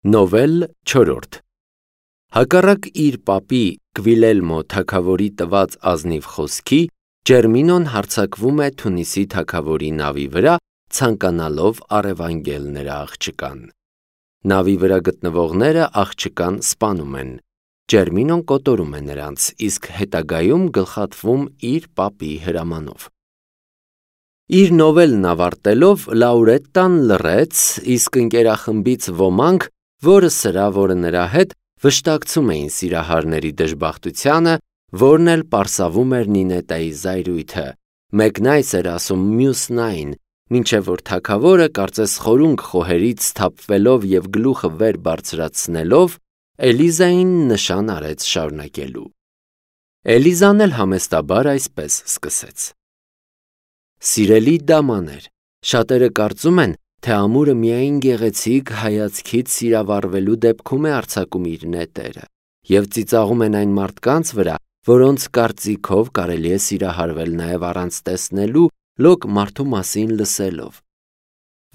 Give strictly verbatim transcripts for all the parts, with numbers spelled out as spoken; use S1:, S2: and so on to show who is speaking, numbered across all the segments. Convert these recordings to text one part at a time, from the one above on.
S1: Նովել չորրորդ Հակառակ իր պապի Գվիլելմո թագավորի տված ազնիվ խոսքի, Ջերմինոն հարձակվում է Թունիսի թագավորի նավի վրա, ցանկանալով առևանգել նրա աղջկան։ Նավի վրա գտնվողները աղջկան սպանում են։ Ջերմինոն կոտորում է նրանց, իսկ հետագայում գլխատվում իր պապի հրամանով։ Իր նովելն ավարտելով Լաուրետտան լռեց, իսկ ընկերախմբից ոմանք, որը սրա, որը նրա հետ, վշտակցում էին սիրահարների դժբախտությանը, որն էլ պարսավում էր Նինետայի զայրույթը, մեկն այս էր ասում մյուսն այն, մինչև որ թագավորը կարծես խորունգ խոհերից սթափվելով և գլուխը վեր բարձրացնելով, Էլիզային նշան արեց շարունակելու։ Էլիզան էլ համեստաբար այսպես սկսեց. Սիրելի դամաներ, շատերը կարծում են, թե ամուրը միայն գեղեցիկ հայացքից սիրավառվելու դեպքում է արձակում իր նետերը, և ծիծաղում են այն մարդկանց վրա, որոնց կարծիքով կարելի է սիրահարվել նաև առանց տեսնելու, լոկ մարդու մասին լսելով։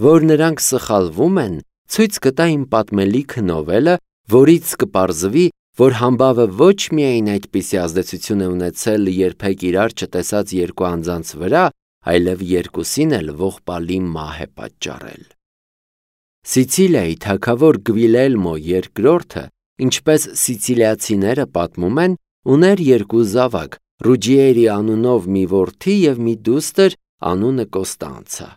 S1: Որ նրանք սխալվում են, ցույց կտա իմ պատմելիքը նովելը, որից կպարզվի, որ համբավը ոչ միայն այդպիսի ազդեցություն է ունեցել երբեք իրար չտեսած երկու անձանց վրա, այլև երկուսին էլ ողբալի մահ է պատճառել։ Սիցիլիայի թագավոր Գվիլելմո երկրորդը, ինչպես սիցիլիացիները պատմում են, ուներ երկու զավակ, Ռուջիերի անունով մի որդի և մի դուստր, անունը Կոստանցա։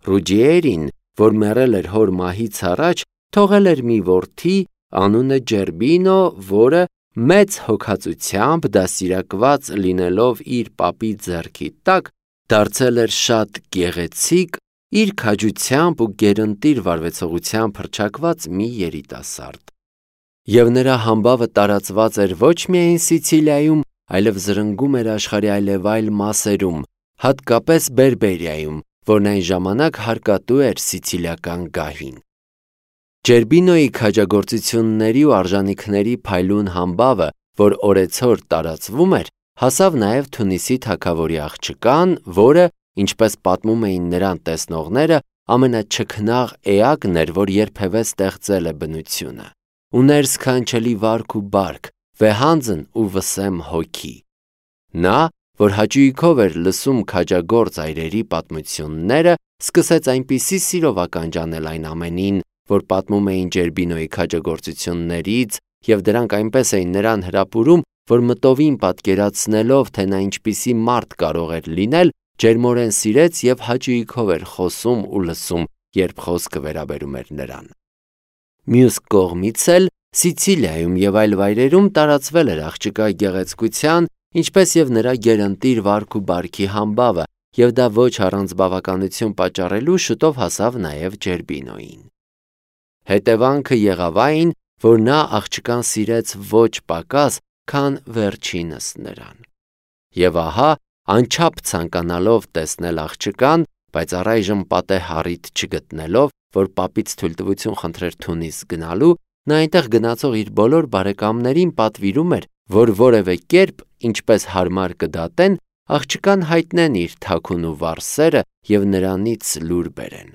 S1: Ռուջիերին, որ մեռել էր հոր մահից առաջ, թողել էր մի որդի, անունը Ջերբինո, որը մեծ հոգածությամբ դաստիարակված լինելով իր պապի ձեռքի տակ, դարձել էր շատ գեղեցիկ, իր քաջությամբ ու գերընտիր վարվեցողությամբ հռչակված մի երիտասարդ։ Եվ նրա համբավը տարածված էր ոչ միայն Սիցիլիայում, այլև զրնգում էր աշխարհի այլևայլ մասերում, հատկապես Բերբերիայում, որն այն ժամանակ հարկատու էր սիցիլիական գահին։ Ջերբինոյի քաջագործությունների ու արժանիքների փայլուն համբավը, որ օրեցօր տարածվում էր, հասավ նաև Թունիսի թագավորի աղջկան, որը, ինչպես պատմում էին նրան տեսնողները, ամենաչքնաղ էակն էր, որ երբևէ ստեղծել է բնությունը։ Ուներ սքանչելի վարք ու բարք, վեհանձն ու վսեմ հոգի։ Նա, որ հաճույքով էր լսում քաջագործ այրերի պատմությունները, սկսեց այնպիսի սիրով ականջանել այն ամենին, որ պատմում էին Ջերբինոյի քաջագործություններից, և դրանք այնպես էին նրան հրապուրում, որ մտովին պատկերացնելով, թե նա ինչպիսի մարդ կարող էր լինել, ջերմորեն սիրեց և հաճույքով էր խոսում ու լսում, երբ խոսքը վերաբերում էր նրան։ Մյուս կողմից էլ Սիցիլիայում և այլ վայրերում տարածվել էր աղջկա գեղեցկության, ինչպես և նրա գերընտիր վարք ու բարքի համբավը, և դա ոչ առանց բավականություն պատճառելու շուտով հասավ նաև Ջերբինոյին։ Հետևանքը եղավ այն, որ նա աղջկան սիրեց ոչ պակաս, քան վերջինս նրան։ Եվ ահա, անչափ ցանկանալով տեսնել աղջկան, բայց առայժմ պատեհ առիթ չգտնելով, որ պապից թույլտվություն խնդրեր Թունիս գնալու, նա այնտեղ գնացող իր բոլոր բարեկամներին պատվիրում էր, որ որևէ կերպ, ինչպես հարմար կդատեն, աղջկան հայտնեն իր թաքուն ու վառ սերը և նրանից լուր բերեն։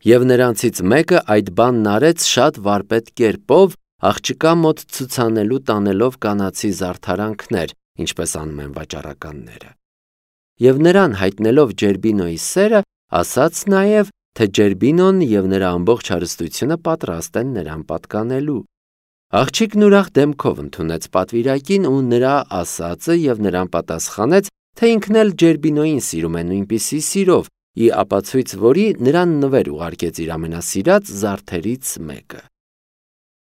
S1: Եվ նրանցից մեկը այդ բանն արեց շատ վարպետ կերպով, աղջկա մոտ ցուցանելու տանելով կանացի զարդարանքներ, ինչպես անում են վաճառականները։ Եվ նրան հայտնելով Ջերբինոյի սերը, ասաց նաև, թե Ջերբինոն և նրա ամբողջ հարստությունը պատրաստ են նրան պատկանելու։ Աղջիկն ուրախ դեմքով ընդունեց պատվիրակին ու նրա ասածը և նրան պատասխանեց, թե ինքն էլ Ջերբինոյին սիրում է նույնպիսի սիրով, ի ապացույց որի նրան նվեր ուղարկեց իր ամենասիրած զարդերից մեկը։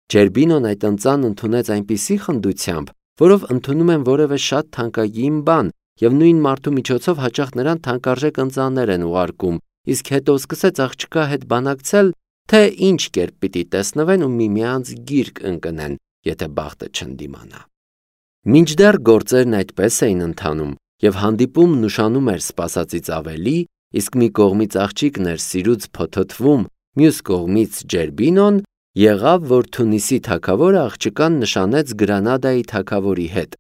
S1: Ջերբինոն այդ ընծան ընդունեց այնպիսի խնդությամբ, որով ընդունում են որևէ շատ թանկագին բան, և նույն մարդու միջոցով հաճախ նրան թանկարժեք ընծաններ են ուղարկում, իսկ հետո սկսեց աղջկա հետ բանակցել, թե ինչ կերպ պիտի տեսնվեն ու միմյանց գիրկ ընկնեն, եթե բախտը չընդդիմանա։ Մինչդեռ գործերն այդպես էին ընթանում, և հանդիպումն ուշանում էր սպասածից ավելի, իսկ մի կողմից աղջիկն էր սիրուց փոթոթվում, մյուս կողմից Ջերբինոն, եղավ, որ Թունիսի թագավորը աղջկան նշանեց Գրանադայի թագավորի հետ,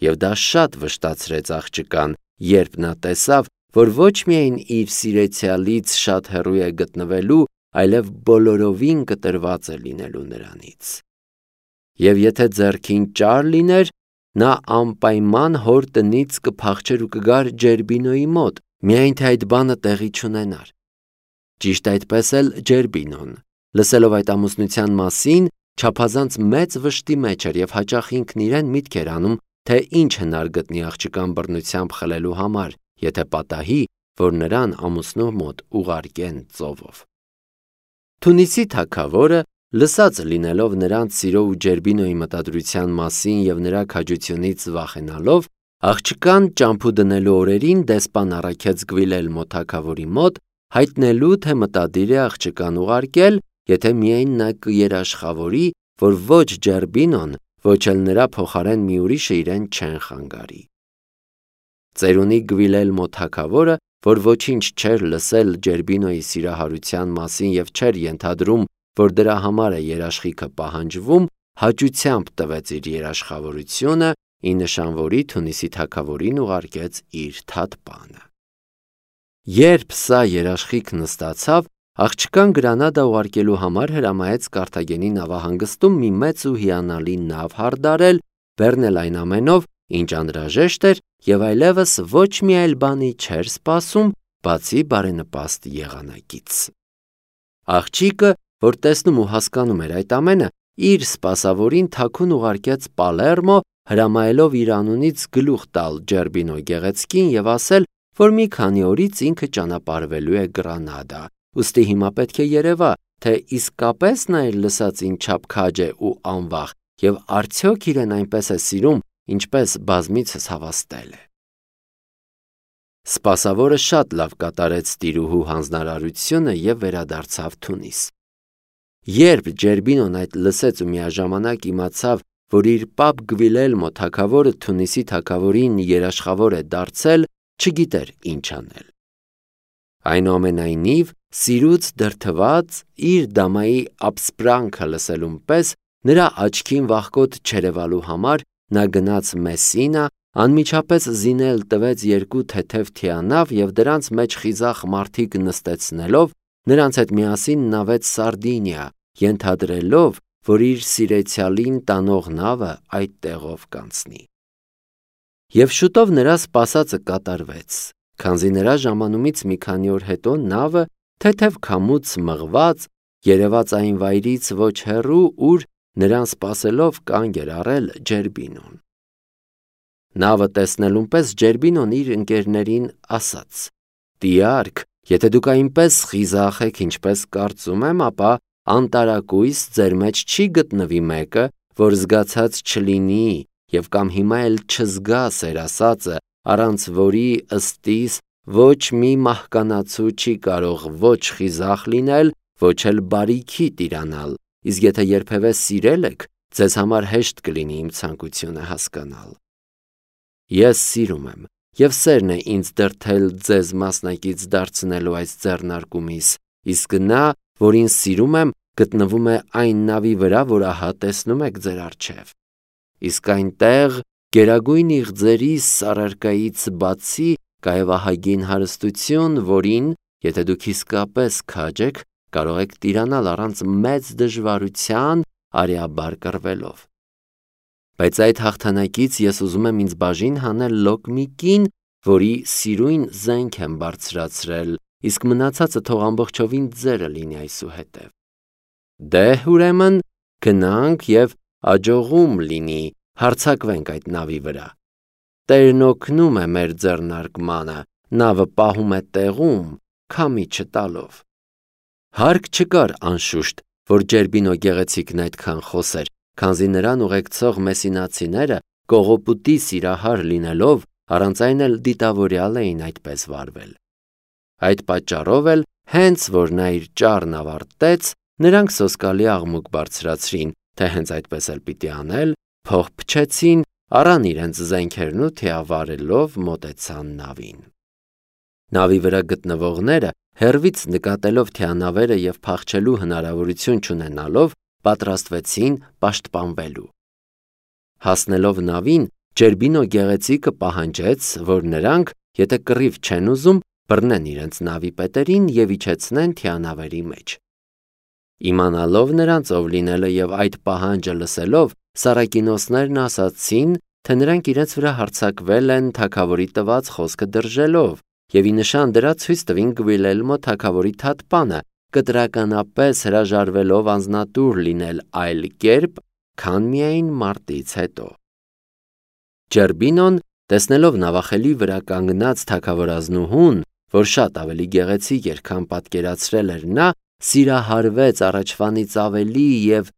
S1: և դա շատ վշտացրեց աղջկան, երբ նա տեսավ, որ ոչ միայն իր սիրեցյալից շատ հեռու է գտնվելու, այլև բոլորովին կտրված է լինելու նրանից։ Եվ եթե ձեռքին ճար լիներ, նա անպայման հոր տնից կփախչեր ու կգար Ջերբինոյի մոտ, միայն թե այդ բանը տեղի չունենար։ Ճիշտ այդպես էլ Ջերբինոն, լսելով այդ ամուսնության մասին, չափազանց մեծ վշտի մեջ էր և հաճախ ինքն իրեն միտք էր անում, թե ինչ հնար գտնի աղջկան բռնությամբ խլելու համար, եթե պատահի, որ նրան ամուսնու մոտ ուղարկեն ծովով։ Թունիսի թագավորը, լսած լինելով նրանց սիրո ու Ջերբինոյի մտադրության մասին և նրա քաջությունից վախենալով, աղջկան ճամփու դնելու օրերին դեսպան առաքեց Գվիլելմո թագավորի մոտ, հայտնելու, թե մտադիր է աղջկան ուղարկել, եթե միայն նա կերաշխավորի, որ ոչ Ջերբինոն, ոչ էլ նրա փոխարեն մի ուրիշը իրեն չեն խանգարի։ Ծերունի Գվիլելմո թագավորը, որ ոչինչ չէր լսել Ջերբինոյի սիրահարության մասին և չէր ենթադրում, որ դրա համար է երաշխիքը պահանջվում, հաճությամբ տվեց իր երաշխավորությունը, ի նշան որի Թունիսի թագավորին ուղարկեց իր թատպանը։ Երբ սա երաշխիքն ստացավ, աղջկան Գրանադա ուղարկելու համար հրամայեց Կարթագենի նավահանգստում մի մեծ ու հիանալի նավ հարդարել, բեռնել այն ամենով, ինչ անհրաժեշտ էր, և այլևս ոչ մի այլ բանի չէր սպասում, բացի բարենպաստ եղանակից։ Աղջիկը, որ տեսնում ու հասկանում էր այդ ամենը, իր սպասավորին թաքուն ուղարկեց Պալերմո, հրամայելով իր անունից գլուխ տալ Ջերբինո գեղեցկին և ասել, որ մի քանի օրից ինքը ճանապարհվելու է Գրանադա, ուստի հիմա պետք է երևա, թե իսկապես նա իր լսածին չափ քաջ է ու անվախ, և արդյոք իրեն այնպես է սիրում, ինչպես բազմիցս հավաստել է։ Սպասավորը շատ լավ կատարեց տիրուհու հանձնարարությունը և վերադարձավ Թունիս։ Երբ Ջերբինոն այդ լսեց ու միաժամանակ իմացավ, որ իր պապ Գվիլելմո թագավորը Թունիսի թագավորին երաշխավոր է դարձել, չգիտեր ինչ անել։ Այնուամենայնիվ, սիրուց դրդված, իր դամայի ապսպրանքը լսելուն պես, նրա աչքին վախկոտ չերևալու համար, նա գնաց Մեսինա, անմիջապես զինել տվեց երկու թեթև թիանավ և դրանց մեջ խիզախ մարդիկ նստեցնելով, նրանց հետ միասին նավեց Սարդինիա, ենթադրելով, որ իր սիրեցյալին տանող նավը այդ տեղով կանցնի։ Եվ շուտով նրա սպասածը կատարվեց, քանզի նրա ժամանումից մի քանի օր հետո նավը, թեթև քամուց մղված, երևաց այն վայրից ոչ հեռու, ուր նրան սպասելով կանգ էր առել Ջերբինոն։ Նավը տեսնելուն պես Ջերբինոն իր ընկերներին ասաց. «Տիարք, եթե դուք այնպես խիզախ եք, ինչպես կարծում եմ, ապա անտարակույս ձեր մեջ չի գտնվի մեկը, որ զգացած չլինի և կամ հիմա էլ չզգա սեր ասածը, առանց որի ըստիս ոչ մի մահկանացու չի կարող ոչ խիզախ լինել, ոչ էլ բարիքի տիրանալ, իսկ եթե երբևէ սիրել եք, ձեզ համար հեշտ կլինի իմ ցանկությունը հասկանալ։ Ես սիրում եմ, և սերն է ինձ դրդել ձեզ մասնակից դարձնելու այս ձեռնարկումիս, իսկ նա, որին սիրում եմ, գտնվում է այն նավի վրա, որ ահա տեսնում եք ձեր առջև։ Իսկ այնտեղ գերագույն իղձերիս առարկայից բացի կայև ահագին հարստություն, որին, եթե դուք իսկապես քաջ եք, կարող եք տիրանալ առանց մեծ դժվարության, արյաբար կռվելով։ Բայց այդ հաղթանակից ես ուզում եմ ինձ բաժին հանել լոկ մի կին, որի սիրույն զենք եմ բարձրացրել, իսկ մնացածը թող ամբողջովին ձերը լինի այսուհետև։ Դե ուրեմն գնանք և աջողում լինի, հարձակվենք այդ նավի վրա։ Տերն օգնում է մեր ձեռնարկմանը, նավը պահում է տեղում, քամի չտալով։ Հարկ չկար անշուշտ, որ Ջերբինո գեղեցիկն այդքան խոսեր, քանզի նրան ուղեկցող մեսինացիները կողոպուտի սիրահար լինելով, առանց այն էլ դիտավորյալ էին այդպես վարվել։ Այդ պատճառով էլ, հենց որ նա իր ճառն ավարտեց, նրանք սոսկալի աղմուկ բարձրացրին, թե հենց այդպես էլ պիտի անել, փող փչեցին, առան իրենց զենքերն ու թիավարելով մոտեցան նավին։ Նավի վրա գտնվողները, հեռվից նկատելով թիանավերը և փախչելու հնարավորություն չունենալով, պատրաստվեցին պաշտպանվելու։ Հասնելով նավին, Ջերբինո գեղեցիկը պահանջեց, որ նրանք, եթե կռիվ չեն ուզում, բռնեն իրենց նավի պետերին և իջեցնեն թիանավերի մեջ։ Իմանալով նրանց ով լինելը եւ այդ պահանջը լսելով, սարակինոսներն ասացին, թե նրանք իրենց վրա հարձակվել են թագավորի տված խոսքը դրժելով, եւ ի նշան դրա ցույց տվին Գվիլելմո թագավորի թատպանը, կտրականապես հրաժարվելով անձնատուր լինել այլ կերպ, քան միայն մարտից հետո։ Ջերբինոն, տեսնելով նավախելի վրա կանգնած թագավորազնուհուն, որ շատ ավելի գեղեցիկ էր, քան պատկերացրել էր նա, սիրահարվեց առաջվանից ավելի եւ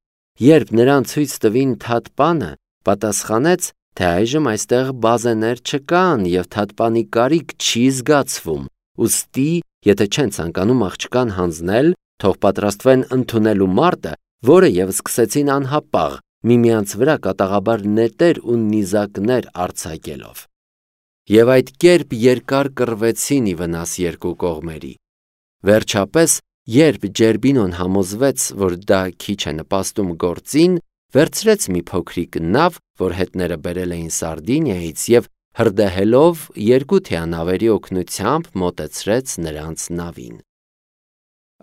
S1: երբ նրան ցույց տվին թատպանը, պատասխանեց, թե այժմ այստեղ բազեներ չկան եւ թատպանի կարիք չի զգացվում, ուստի, եթե չեն ցանկանում աղջկան հանձնել, թող պատրաստվեն ընդունելու մարտը, որը եւ սկսեցին անհապաղ, միմյանց վրա կատաղաբար նետեր ու նիզակներ արձակելով։ Եվ այդ կերպ երկար կռվեցին ի վնաս երկու կողմերի։ Վերջապես, երբ Ջերբինոն համոզվեց, որ դա քիչ է նպաստում գործին, վերցրեց մի փոքրիկ նավ, որ հետները բերել էին Սարդինիայից եւ հրդեհելով երկու թիանավերի օգնությամբ մոտեցրեց նրանց նավին։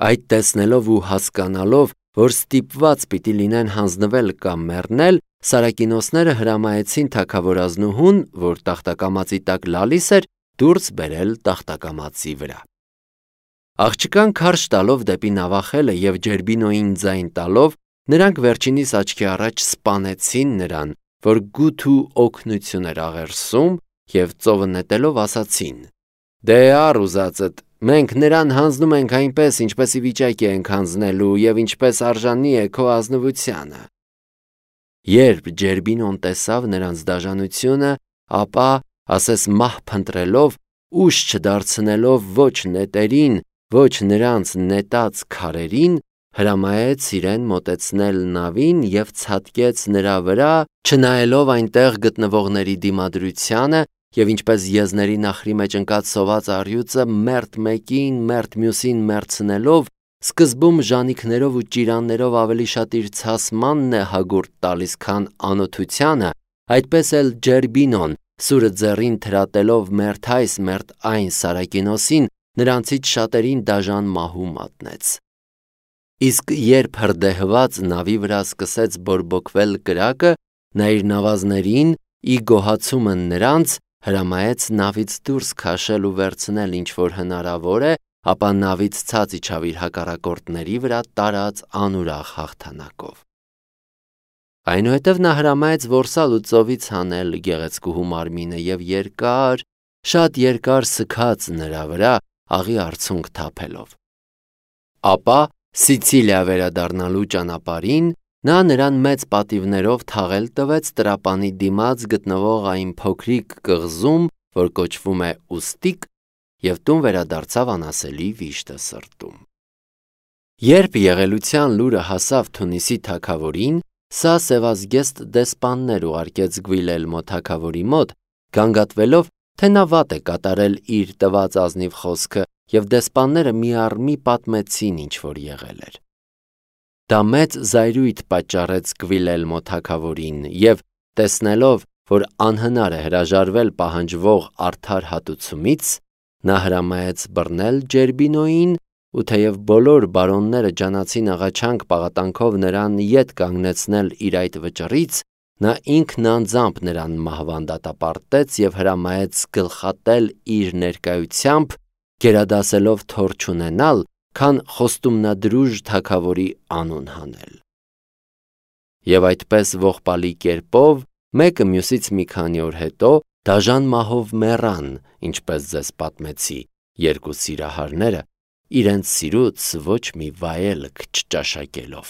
S1: Այդ տեսնելով ու հասկանալով, որ ստիպված պիտի լինեն հանձնվել կամ մեռնել, սարակինոսները հրամայեցին թագավորազնուհուն, որ տախտակամածի տակ լալիս էր, դուրս բերել տախտակամածի վրա։ Աղջկան քարշ տալով դեպի նավախելը եւ Ջերբինոյին ձայն տալով, նրանք վերջինիս աչքի առաջ սպանեցին նրան, որ գութ ու օգնություն էր աղերսում, եւ ծովը նետելով ասացին. «Դե առ ուզածդ, մենք նրան հանձնում ենք այնպես, ինչպես ի վիճակի ենք հանձնելու եւ ինչպես արժանի է քո ազնվությանը»։ Երբ Ջերբինոն տեսավ նրանց դաժանությունը, ապա, ասես մահ փնտրելով, ուշ չդարձնելով ոչ նետերին, ոչ նրանց նետած քարերին, հրամայեց իրեն մոտեցնել նավին եւ ցատկեց նրա վրա, չնայելով այնտեղ գտնվողների դիմադրությանը եւ ինչպես եզների նախրի մեջ ընկած սոված առյուծը մերթ մեկին, մերթ մյուսին մերցնելով, սկզբում ժանիքներով ու ճիրաններով ավելի շատ իր ցասմանն է հագուրտ տալիս, քան անօթությանը, այդպես էլ Ջերբինոն, սուրը ձեռին թրատելով մերթ այս մերթ այն Սարակինոսին, նրանցից շատերին դաժան մահու մատնեց։ Իսկ երբ հրդեհված նավի վրա սկսեց բորբոքվել կրակը, նա իր նավազներին, ի գոհացումը նրանց, հրամայեց նավից դուրս քաշել ու վերցնել ինչ որ հնարավոր է, ապա նավից ցած իջավ իր հակառակորդների վրա տարած անուրախ հաղթանակով։ Այնուհետև նա հրամայեց որսալ ու ծովից հանել գեղեցկուհու մարմինը եւ երկար, շատ երկար սքաց նրա վրա, աղի արցունք թափելով։ Ապա Սիցիլիա վերադառնալու ճանապարհին նա նրան մեծ պատիվներով թաղել տվեց տրապանի դիմաց գտնվող այն փոքրիկ կղզում, որ կոչվում է Ուստիկ, եւ տուն վերադարձավ անասելի վիշտը սրտում։ Երբ եղելության լուրը հասավ Թունիսի թագավորին, սա սևազգեստ դեսպաններ ուղարկեց Գվիլելմո թագավորի մոտ, գանգատվելով, թե նա վատ է կատարել իր տված ազնիվ խոսքը, եւ դեսպանները մի առ մի պատմեցին ինչ որ եղել էր։ Դա մեծ զայրույթ պատճառեց Գվիլելմո թագավորին եւ տեսնելով, որ անհնար է հրաժարվել պահանջվող արդար հատուցումից, նա հրամայեց բռնել Ջերբինոյին ու թեև բոլոր բարոնները ջանացին աղաչանք պաղատանքով նրան ետ կանգնեցնել իր այդ վճռից, նա ինքն անձամբ նրան մահվան դատապարտեց եւ հրամայեց գլխատել իր ներկայությամբ, գերադասելով թոր չունենալ, քան խոստումնադրուժ թագավորի անուն հանել։ Եվ այդպես ողբալի կերպով, մեկը մյուսից մի քանի օր հետո, դաժան մահով մեռան, ինչպես ձեզ պատմեցի, երկու սիրահարները, իրենց սիրուց ոչ մի վայելք չճաշակելով։